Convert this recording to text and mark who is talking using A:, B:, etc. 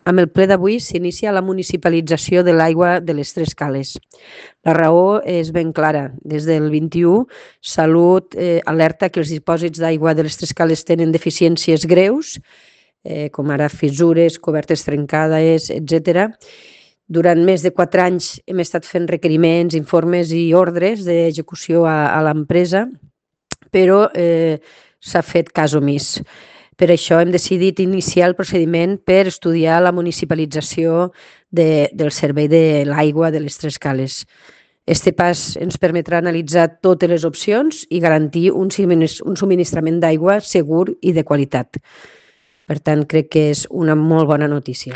A: Amb el ple d'avui s'inicia la municipalització de l'aigua de les Tres Cales. La raó és ben clara. Des del 21, Salut alerta que els dipòsits d'aigua de les Tres Cales tenen deficiències greus, com ara fissures, cobertes trencades, etc. Durant més de 4 anys hem estat fent requeriments, informes i ordres d'execució a l'empresa, però s'ha fet cas omís. Per això hem decidit iniciar el procediment per estudiar la municipalització del servei de l'aigua de les Tres Cales. Este pas ens permetrà analitzar totes les opcions i garantir un subministrament d'aigua segur i de qualitat. Per tant, crec que és una molt bona notícia.